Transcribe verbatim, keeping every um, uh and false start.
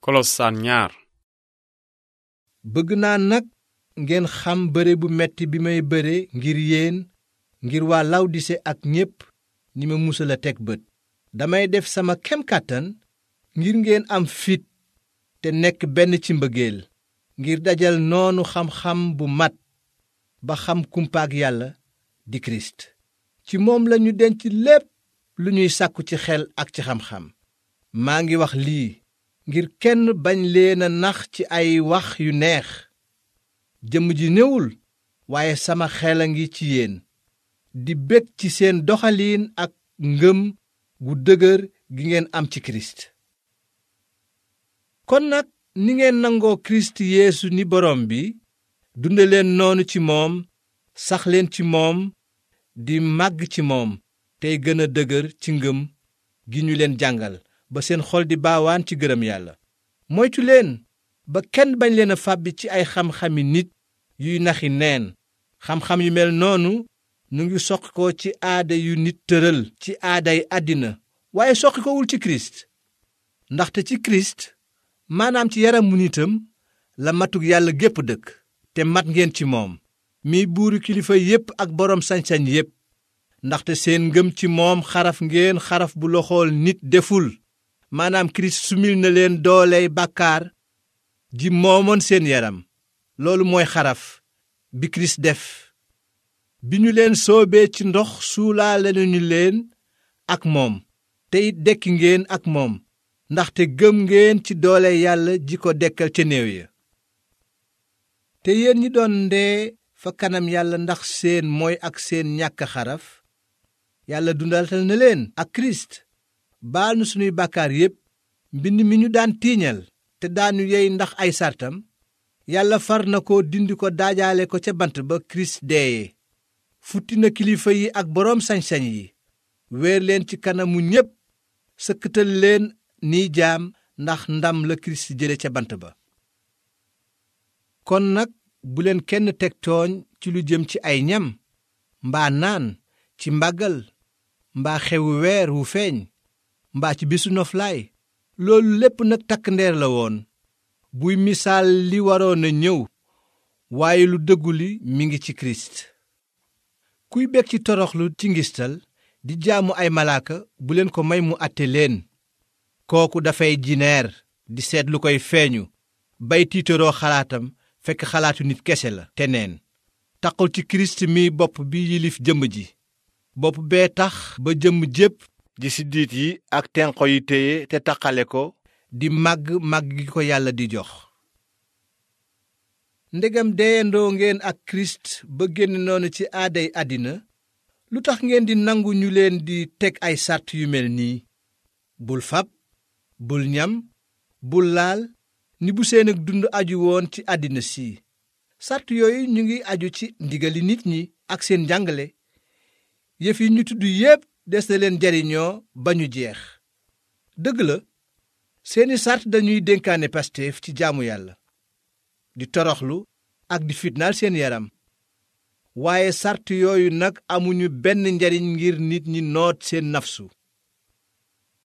Kolosaan ñaar. bëgg naa nag ngeen xam bëre bu metti bi may bëre ngir yéen ngir waa Lawdise ak ñépp ñi ma musal a teg bët. damay def sama kem kàttan ngir ngeen am fit te nekk benn ci mbëggeel, ngir dajal noonu xam-xam bu mat ba xam kumpaag Yàlla di Kirist. ci moom lañu denc lépp lu ñuy sàkku ci xel ak ci xam-xam. maa ngi wax lii ngir kenn bañ leen a nax ci ay wax yu neex. jëmm ji néewul, waaye sama xel a ngi ci yéen, di bég ci seen doxaliin ak ngëm gu dëgër gi ngeen am ci Kirist. kon nag ni ngeen nangoo Kirist Yeesu ni borom bi, dunde leen noonu ci moom, sax leen ci moom, di màgg ci moom, tey gën a dëgër ci ngëm gi ñu leen jàngal, ba seen xol di baawaan ci gërëm Yàlla. moytu leen ba kenn bañ leen a fàbbi ci ay xam-xami nit yuy naxi neen. xam-xam yu mel noonu nu ngi soqi ko ci aada yu nit tëral ci aaday àddina, waaye soqi kowul ci Kirist. ndaxte ci Kirist, maanaam ci yaramu nitam, la matug Yàlla gépp dëkk, te mat ngeen ci moom, mi buuru kilifa yépp ak boroom sañ-sañ yépp. ndaxte seen ngëm ci moom xaraf ngeen xaraf bu loxool nit deful, maanaam Kirist sumil na leen dooley bàkkaar ji moomoon seen yaram. loolu mooy xaraf bi Kirist def. bi ñu leen soobee ci ndox suulaale nañu leen ak moom, te it dekki ngeen ak moom, ndaxte gëm ngeen ci doole Yàlla ji ko dekkal ca néew ya. te yéen ñi doon ndee fa kanam Yàlla ndax seen mooy ak seen ñàkk xaraf, Yàlla dundaltal na leen ak Kirist, baal nu sunuy bàkkaar yépp. mbind mi ñu daan tiiñal te daanu yey ndax ay sartam, Yàlla far na ko dindi ko daajaale ko ca bant ba Kirist deeye. futti na kilifa yi ak boroom sañ-sañ yi, weer leen ci kanamu ñépp, sëkkatal leen ni jaam ndax ndam la Kirist jële ca bant ba. kon nag bu leen kenn teg tooñ ci lu jëm ci ay ñam, mbaa naan, ci màggal, mbaa xewu weer wu feeñ, mbaa ci bisu noflaay. loolu lépp nag takk ndeer la woon, buy misaal li waroon a ñëw, waaye lu dëggu li mi ngi ci Kirist. kuy bég ci toroxlu ci ngistal di jaamu ay malaaka, bu leen ko may mu àtte leen. kooku dafay jineer di seet lu koy feeñu, bay tiitaroo xalaatam fekk xalaatu nit kese la te neen. taqul ci Kirist mi bopp bi yilif jëmm ji. bopp bee tax ba jëmm jépp ji siddiit yi ak tenqo yi téye te taqale ko, di màgg màgg gi ko Yàlla di jox. ndegam deyandoo ngeen ak Kirist ba génn noonu ci aaday àddina, lu tax ngeen di nangu ñu leen di teg ay sàrt yu mel nii: bul fab, bul ñam, bul laal, ni bu seen ak dund aju woon ci àddina si. sàrt yooyu ñu ngi aju ci ndigali nit ñi ak seen njàngale. yëf yi ñu tudd yépp des na leen jariñoo ba ñu jeex. dëgg la, seeni sàrt dañuy dénkaane Pastef ci jaamu Yàlla, di toroxlu ak di fitnaal seen yaram. waaye sàrt yooyu nag amuñu benn njariñ ngir nit ñi noot seen nafsu.